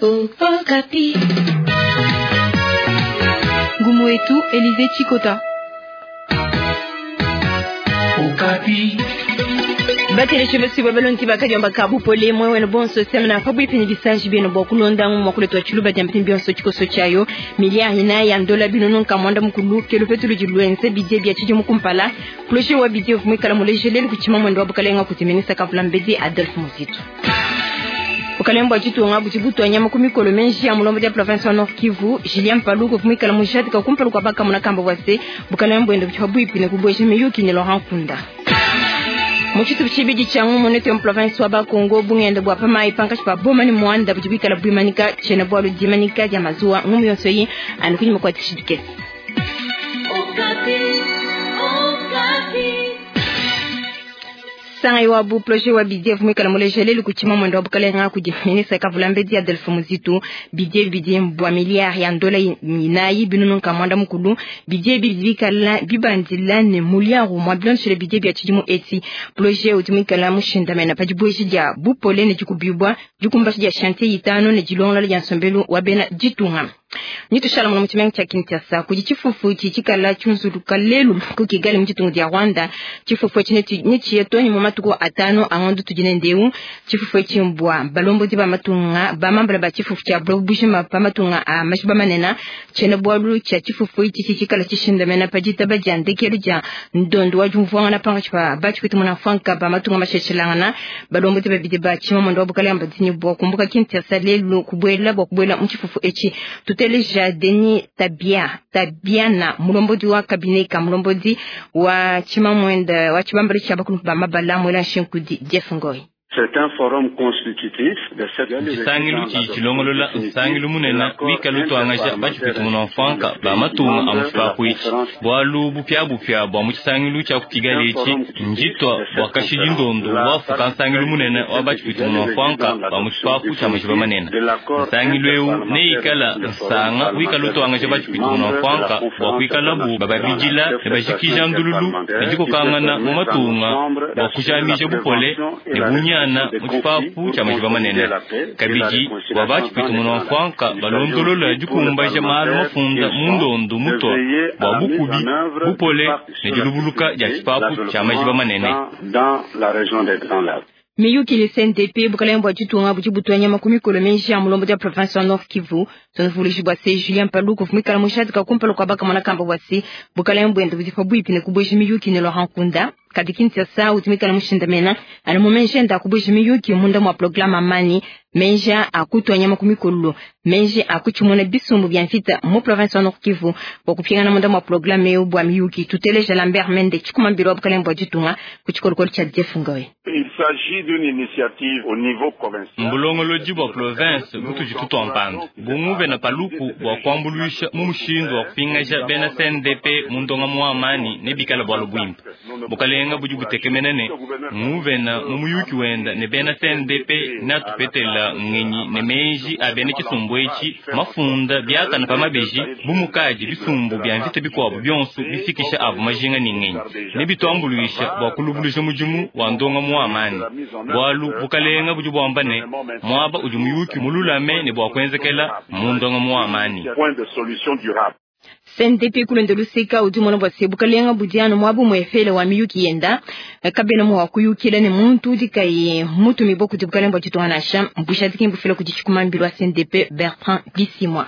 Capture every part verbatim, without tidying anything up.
Okapi. Ngumu wetu Elize Chikota. Okapi. Bateleshi basi babalongi bakadiomba kabu pole mwe wena bonso semna pabuipi ni bisanji bino bwa kulonda mwa kuletwa chiluba dia mpimbi yonso chikoso chayo miliari ina ya ndola bino nonka mwanda mukulu kelo petulu dilwenze bidie bia chidi mukumpala kuloshi wa bidie vumwikala mulejeleli kuchima mwendo wa bukalenga kutiminisa kavula mbedi Adolphe Muzito. Bukalenga ditunga budi butua nyama ku mikolo menji ya mulombo dia province wa Nord Kivu Julien Paluku vumwikala mujadika kumpala kwa baka munakamba bwase bukalenga bwende budi pabuipi ne kubweja miyuki ne Laurent Kunda. Muchitu chibidi cha ngumu neto ya province wa Bakongo bungende bwa pamai pankashi pa boma ni mwanda budi bikala bwimanika chena bwalu dimanika dia mazuwa ngumu yonso yi anukunyima kwa tishidike. Okapi. Okapi. Sanga wa bu projet wa bidie vumikala mulejeleli kuchima mwendo wa bukalenga kudi ministre kavula mbedi Adolphe Muzito bidie bidie mbwa miliari ya ndola inayi binunu nka mwanda mukulu bidie bibikala bibandila ne muliaru mwa bilonshele bidie bia chidimu eti projet utumikala mushindamena pajibweji dia bupole ne dikubibwa dikumbashi dia chantier itano ne dilongola dia nsombelu wa bena ditunga. Nitushala mwana muchimengi cha Kinshasa kudi chifufu chichikala chunzuluka lelu ku Kigali mu ditunga dia Rwanda chifufu echi nechiyetoni mu matuku atano angondo tudine ndeu chifufu echi mbwa balombodi ba matunga ba mambala ba chifufu cha bujima pa matunga a mashiba manena chene bwalu cha chifufu ichi chichikala chishindamena pa ditaba dia ndekelu dia ndondo wa jumvuanga panga chipa ba chikuti muna franka ba matunga masheshelangana balombodi ba bidi ba chima mondo wa bukale ambadini bwa kumbuka Kinshasa lelu kubwela bwa kubwela mu chifufu echi tuteleja Denis Tabia Tabiana mulombodi wa kabine ka mulombodi wa chimamwenda wa chibambali cha bakulu ba mabala mwela nshinkudi Jeff Ngoi. C'est un forum constitutif de cette Chisangilu chichilongolola nsangilu munene wikala utwangaja bachipita munamfanka ba matunga a muchipapu ichi bwalu bupya bupya bwa muchisangilu cha ku Kigali ichi njitwa bwa kashidi ndondo bwafuka nsangilu munene wa bachipita munamfanka ba muchipapu cha majiba manene nsangilu eu neikala nsanga wikala utwangaja bachipita munamfanka bwa kuikalabu bababidila ne bajikija ndululu ne dikokangana mu matunga bwa kujamija bupole ne bunyana na muchipapu cha majiba manene kabidi bwa bachipita munamfanka balondolola dikumbaja malu mafunda mundondo mutwa bwa bukubi bupole ne dilubuluka dia chipapu cha majiba manene. Miyuki le C N D P bukalenga bwa ditunga budi butua nyama ku mikolo menji ya mulombo dia province wa Nord Kivu tunavuluji bwa se Julien Paluku vumikala mushadika kumpala kwa baka mwanakamba bwa se bukalenga bwende budi pabuipi ne kubweja miyuki ne Laurent Kunda kadi Kinshasa utumikala mushindamena ali mumenje nda kubweja miyuki munda mwa programa amani menja akutwa nyama ku mikolo menje akuchimona bisumbu bya mvita mu province wa Nord Kivu bwa kupingana munda mwa programa eu bwa miyuki tuteleja Lambert Mende chikumambiro wa bukalenga bwa ditunga ku chikolokolo cha Jeff Ngoy. Il s'agit d'une initiative au niveau provincial. Mbulongoloji bwa province butuji tutwampanda bunguve na paluku bwa kuambuluisha mu mushindu wa kupingaja bena C N D P mu ndonga mu amani ne bikala bwalo bwimpa bukalenga budi butekemena ne nguvena mu muyuki wenda ne bena C N D P natupetela ngenyi ne menji a bena chisumbu echi mafunda biakana pa mabeji bumukaji bisumbu bya mvita bikwabu byonso bifikisha abu majinga ni ngenyi ne bitwambuluisha bwa kulubuluja mudimu wa ndonga mu amani bwalu bukalenga budi bwamba ne mwaba udi muyuki mululame ne bwa kwenzekela mu ndonga mu amani. Point de solution durable. C N D P kulonda luseka udi mwana bwa se bukalenga budiano mwabu mwefele wa miyuki yenda kabena mwa kuyukila ne muntu udi kai mutu mibo kuti bukalenga bwa ditunga nasha mbushadiki mbufila kuti chikumambilo wa C N D P Bertrand Bisimwa.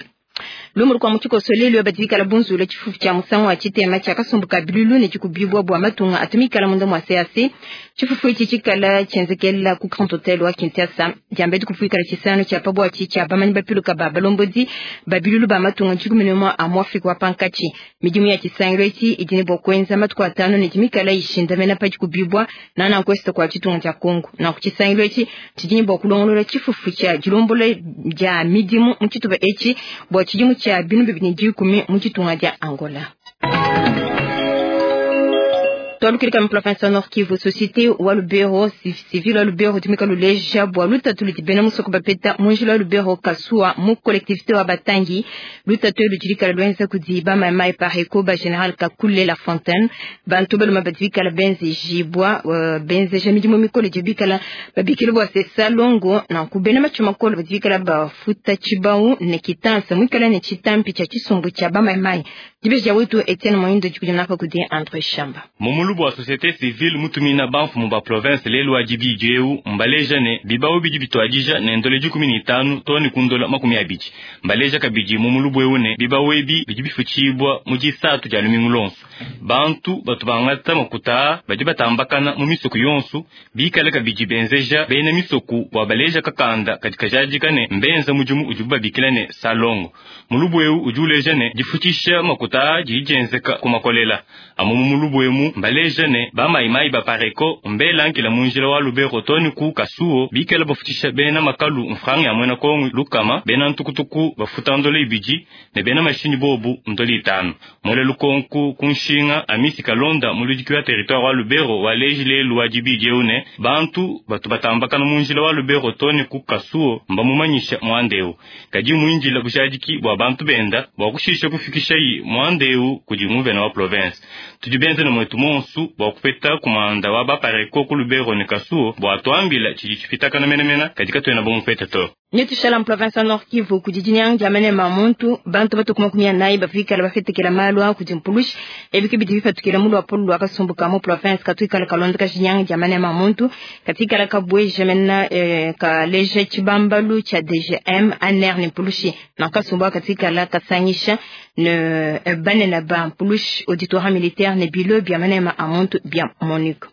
Lumuru kwa muchiko solelu badikala bunzula chifufu cha musango wa chitema cha kasumbuka bilulu ne chikubibwa bwa matunga atumikala munda mwa C A C chifufu ichi chikala chenzekela ku Grand Hotel wa Kinshasa jambe dikufuikala chisano cha pabwa chicha bamanyi bapiluka ba balombodi babilulu ba matunga chikumenemo a mwafrika wa pankachi midimu ya chisangiro ichi idine bwa kwenza matuku atano ne chimikala ishindamena pa chikubibwa na na kwesta kwa chitunga cha Kongo na ku chisangiro ichi chidini bwa kulongolola chifufu cha jilombole ja midimu muchituba echi bwa chidimu cha binu bibini dikumi mu ditunga dia Angola. Twalukilika mu province Nord Kivu, société wa Lubero civil wa Lubero tumika luleja bwa lutatu ludi musoko bapeta munjila wa Lubero kasua mu collectivité wa Batangi lutatu ludilikala lwenza kudi ba maimai pareko ba général Kakule La Fontaine bantu baluma badibikala benze jibwa uh, benze jamidimu mikolo dibikala babikile bwa sesa longo na kubena machuma kolo badibikala bafuta chibau ne kitansa mwikala ne chitampi cha chisumbu cha ba maimai dibeja wetu Etienne Moindo dikujana kudi Andre Shamba. Mumulubu wa société civile mutumina banfu mu ba province lelu ajibiji eu mbaleja ne bibao bidi bitwajija ne ndole dikumi ni tanu toni kundola makumi abidi mbaleja kabidi mumulubu eu ne bibao ebi bidi bifuchibwa mu disatu dia lumingu lonso bantu batu bangata makuta badi batambakana mu misuku yonso bikale kabidi benzeja bena misuku bwa baleja kakanda katika jadika ne mbenza mujumu ujubu babikila ne salongo mulubu eu ujuleja ne difuchisha makuta jijenzeka kumakolela amu mulubu emu mbaleja ne bamaimai bapareko mbela nkila munjila wa Lubero toni ku kasuo bikela bafutisha bena makalu mfranga ya mwena kongu lukama bena ntukutuku bafuta ndole ibiji ne bena mashini bobu ndole itanu mole lukonku kunshinga amisi kalonda muludiki wa territoire wa Lubero walejile luwajibi jeune bantu batu batambakana munjila wa Lubero toni ku kasuo mbamumanyisha mwandeu kadi muinjila bushadiki bwa bantu benda bwa kushisha kufikisha yi mwandeu kudi muvena wa province tujibenze na mwetu monsu bwa kupeta kumanda wa bapareko ku Lubero ne kasuo bwa twambila chiji chipitakana menemena katika twena bomupeta to Nyetushala province Nord Kivu kujijinyang jamene mamuntu bantu batu kuma nayi bafikala bafetekela malwa kujimpulushi ebiki bidi bifatukila mulu apulu akasumbuka mu province katukala kalonda kajinyang jamene mamuntu katikala kabwe jamena eh, kaleje chibambalu cha D G M aner ni pulushi na kasumba katikala kasangisha ne eh, banena ba pulushi auditorat militaire ne bilo biamene ma amuntu bien Monique.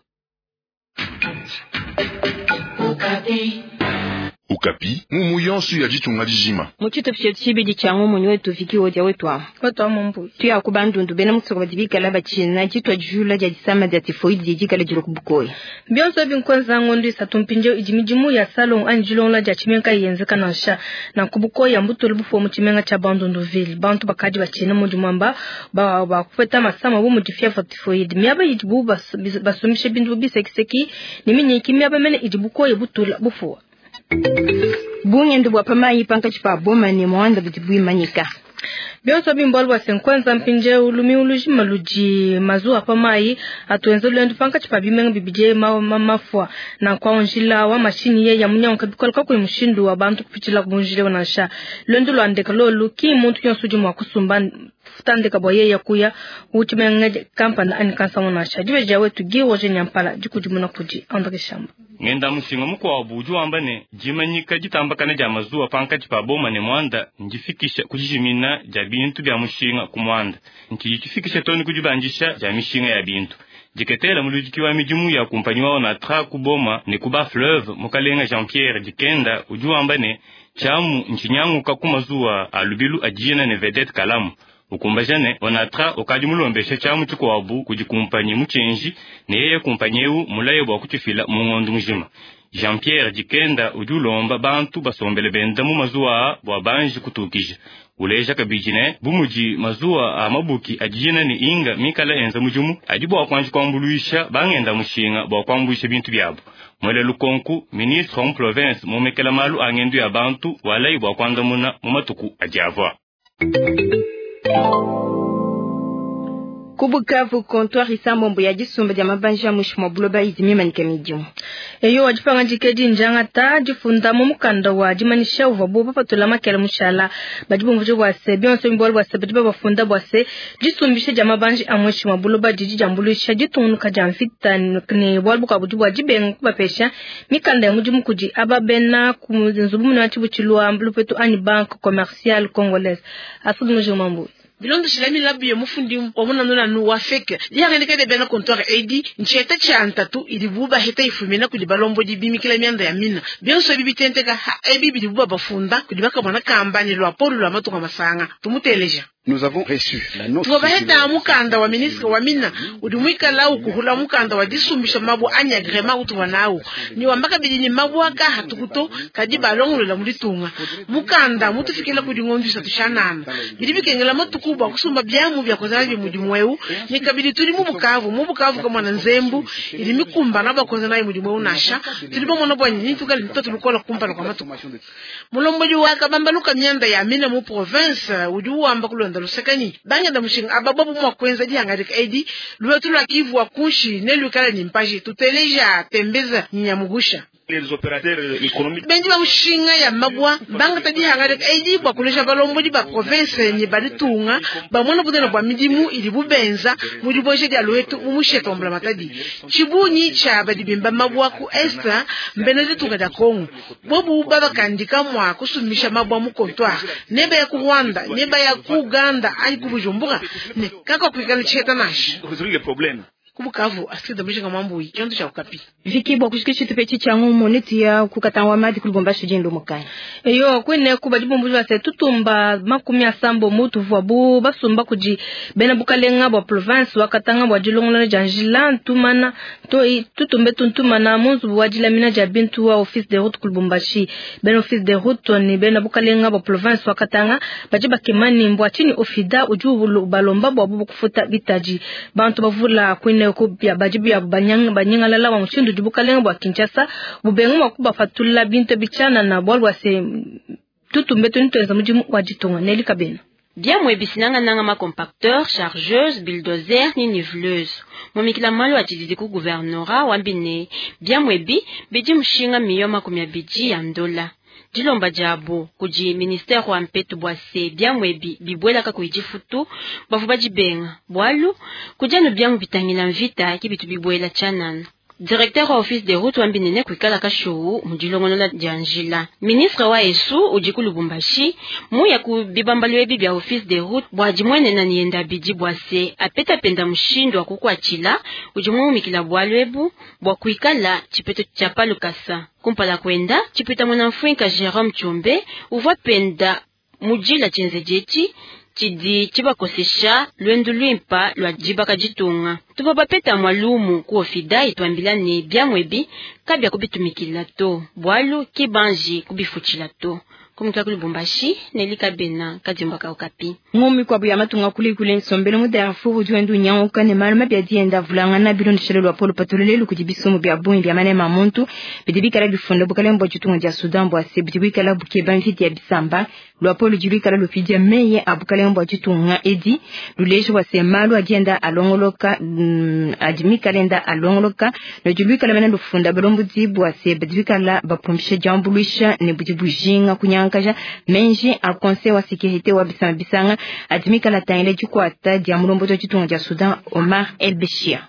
Okapi, mumu yonso ya ditunga dijima. Muchito pshio changu munyu wetu fiki woja wetu wa. Watu wa mumbu. Tuya kubandundu bena musoko badibika bachina jitwa jula ja disama ja tifoidi jikala jilo kubukoyi. Bionso binkwenza ngondo isatumpinje ijimijimu ya salon anjilonla ja chimenka yenzeka nansha na kubukoyi ambutulu bufo mu chimenga cha bandundu ville. Bantu bakaji bachina mu jumamba ba ba kupeta masama bu mu fièvre typhoïde. Miaba ijibu basumishe bindu bisekiseki ni minyiki miaba mene ijibukoyi butula bufo. Bungendo bwa pamayi pankachi pa boma ni mwanda butibwimanyika. Bionso bimbolwa bwa senkwenza mpinje ulumi uluji maluji mazuwa pamayi atuenze lwendu pankachi pa bimenga bibije ma, ma, mafwa na kwa onjila wa mashini ye ya munyanka bikola kwa mushindu wa bantu kupichila kubunjile wanasha lwendu lwandeka lolu ki muntu yonso udi mwa kusumba futandeka bwa ye yakuya uchimenga kampani ani kansa wanasha jibeja wetu giwoje nyampala jikujimuna kuji Andre Shamba. Ngenda mushinga mukwabu udi wamba ne jimanyika jitambakana ja mazuwa pankachi pa boma ne mwanda njifikisha kujijimina ja bintu bya mushinga ku mwanda nchijichifikisha toni kujibanjisha ja mishinga ya bintu jiketela muludiki wa midimu ya kumpanyi wao na tra ku boma ne kuba fleuve mukalenga Jean-Pierre Dikenda udi wamba ne chamu nchinyanguka ku mazuwa alubilu ajina ne vedette kalamu ukumbajane onatra okadi mulombesha chamu chikwabu kudi kumpanyi muchenji ne yeye kumpanyi eu mulaye bwa kuchifila mungondo mujima. Jean-Pierre Dikenda udi ulomba bantu basombele benda mu mazuwa bwa banji kutukija uleja kabidi ne bumuji mazuwa a mabuki ajina ni inga mikala enza mujumu adi bwa kwanji kwambuluisha bangenda mushinga bwa kwambuisha bintu byabo. Mwele lukonku ministre wa province mumekela malu angendu ya bantu walayi bwa kwandamuna mu matuku ajavwa. Kubukavu comptoir isambombo ya jisumba ya mabanja mushimo buloba izimimanyika midimu. Eyo wajipanga jikeji njanga ta jifunda mu mukanda wa jimanisha uva bo papatula makela mushala bajibumvuje bwase bionso mbolo bwase badiba bafunda bwase jisumbishe ja mabanja amweshimo buloba jiji jambulisha jitunuka ja mfita ne bwalbuka bujibwa jibenga kubapesha mikanda ya mujimu kuji ababena ku nzubu muna chibuchilwa mbulupetu ani banque commerciale congolaise asudu mujumambu. Bilondoshila milabu ya mufundi wa munanunanu wa feke liyangendeka de bena comptoir edi ncheta cha ntatu ilibuba heta ifumina kuli balombo dibimikila mianda ya mina bionso bibitenteka ha ebi bilibuba bafunda kuli bakamwana kamba ni lwa polu lwa matuka masanga tumuteleja. Tuvua baheta mukanda wa ministre wa mina udi muikala ukuhula mukanda wa disumbisha mabu anyi agrema utuwa nawo ni wamba kabidi ni mabu aka hatukuto kadi balongolola mu ditunga mukanda mutufikila kudi ngondo isatu tshianana bidi bikengela matuku bua kusumba biamu bia kuenza nabi mudimu eu ni kabidi tudi mu Bukavu mu Bukavu kamwana nzembu ili mikumbana bua kuenza nayi mudimu eu nasha tudi bamona bua nyinyi tukali mtoto lukola kumpala kwa matuku mulombodi wa kabambaluka mianda ya mina mu province udi uwamba kulonda lusekani bangenda mushinga abababu mwa kuenza dihangadika edi lwetu lwa Kivu wa kunshi ne lukala ni mpaji tuteleja tembeza nyamugusha benji ba mushinga ya mabwa bangata dihangadika edi bua kulesha balombodi ba province ni baditunga bamona budena bua midimu ili bubenza mu diboje dia lwetu mu musheta wa matadi chibunyi cha badibimba mabwa ku est mbene ditunga dia Kongo bobu babakandika mwa kusumisha mabwa mu comptoir neba ya ku Rwanda neba ya ku Uganda anyi ku Bujumbura ne kaka kuikala cheta nashi kubukavu asida mwishinga mambo chonto cha Okapi viki bwa kushikisha tupechi cha ngumo neti ya kukatangwa madi kulubumbashi jendo mukanya eyo kwene kuba dibumbu base tutumba makumi asambo mutu vwabu basumba kuji bena bukalenga bwa province wakatanga bwa dilongolana ja njila ntumana to tutumbe tuntumana munzu wa dilamina ja bintu wa office de route kulubumbashi bena office de route ni bena bukalenga bwa province wakatanga baje bakemani mbwa chini ofida uju balomba bwa bubu kufuta bitaji bantu bavula kwene kubya bajibu ya banyanga banyangalala wa mushindu dibukalenga bwa Kinshasa bubenga mwa kubafatula bintu bichana na bwalwa se tutumbe tunitweza mujimu wa ditunga neli kabena Biamwe bisinanga nanga ma compacteur, chargeuse, bulldozer ni niveleuse. Momikila malo atididi ku gouvernorat wambine. Biamwe bi bidi mushinga miyo makumi abidi ya ndola. Dilomba diabo kudi ministère wa mpetu bwa se biamwe bi bibwelaka kuidifutu bavu badibenga bwalu kudianu biamu bitangila mvita kibitu bibwela tshianana. Directeur wa office de route wambinene kuikala kashowu mudilongonola dia njila. Ministre wa esu udi ku Lubumbashi muya ku bibambalu ebi bia office de route bua dimwenena nienda bidi bua se apetapenda mushindu wa kukuatshila udi muumikila bualu ebu bua kuikala tshipeto tshia palukasa. Kumpala kwenda tshipeta mwana mfuinka Jerome Chombe uvua penda mudila tshienzeji tshidi tshibakosesha lwendu lwimpa lwa dibaka ditunga. Tupa bapeta mwalumu ku ofida itwambila ne biamwebi kabya kubitumikila to bwalu kibanji kubifutshila to. Kumika ku Lubumbashi nelika bena kadimbaka Okapi. Ngumi kwa buya matunga kuli kule nsombelo mu Darfur udi wendu nyanguka ne malu mabi adi enda vulangana bilondeshele lwa polo patulele kudi bisumu bia bungi bia manema muntu bidi bikala bifunda bukalenga bua ditunga dia Sudan bua se bidi bikala bukeba mvita ya bisamba lwa polo ludi luikala lupidia meye a bukalenga bua ditunga edi luleje bua se malu adi enda alongoloka mm, adi mikala enda alongoloka ludi luikala mene lufunda balombodi bua se bidi bikala bapumbisha diambuluisha ne budi bujinga kunyanga menji a conseil wa sécurité wa bisanga bisanga adimika la tangile dikwata dia mulombozi wa ditunga dia Sudan Omar El Bashir.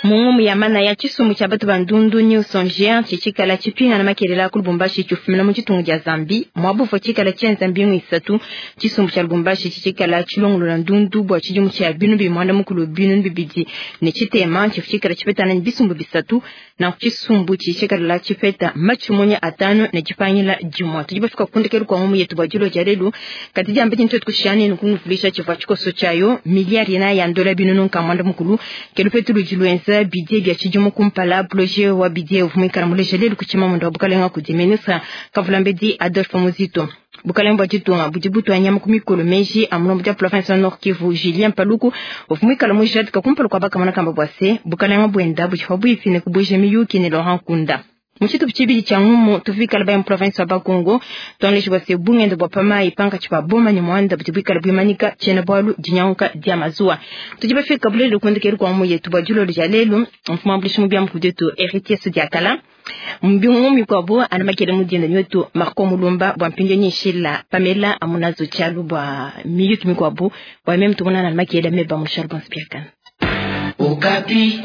Mungu ya mana ya chisumu cha batu bandundu ni usonjia chichikala chipinga na makelela ku Lubumbashi chufumina mu chitungu cha Zambi mwabufu chikala cha Zambi ngwisatu chisumu cha Lubumbashi chichikala chilongolo ndundu bwa chijumu cha binu bimwanda mukulu binu bibidi ne chitema chichikala chipetana ni bisumbu bisatu na chisumbu chichikala chipeta machumonya atano ne chipangila jumwa tujibafika kundekelu kwa mumu yetu bwajulo jarelu katija ambeje nto tukushani nukunufulisha chifa chikoso chayo miliari na ya ndola binu nunka mwanda mukulu kelupetu lujilwenza bidie bya chijumu kumpala projet wa bidie uvumikana mulejele lukuchima mundu wa bukalenga kudi ministre Kavulambedi Adolphe Muzito bukalenga bwa ditunga budi butwa nyama ku mikolo meji amulombo dia province ya Nord Kivu Julien Paluku uvumikala mujadika kumpala kwa bakamana kamba bwa se bukalenga bwenda budifa buifine kubuje miyuki ne Laurent Kunda. Mushitu chibili cha ngumu tufikala ba province wa Bakongo tonleshi bwa se bungendo bwa pama ipanga chipa boma ni mwanda butibikala bwimanika chena bwalu dinyanka dia mazua tujiba fika bulelo kundikeru kwa mu yetu bwa julo jalelu mfuma bulishu mubya mkudetu héritier sudiakala mbingu kwa bo anamakele mudienda nyoto Marco Mulumba bwa mpinje nyishila Pamela amunazo chalu bwa miyuki mikwabo bwa meme tumona na makele meba mushal bon spiakan Okapi.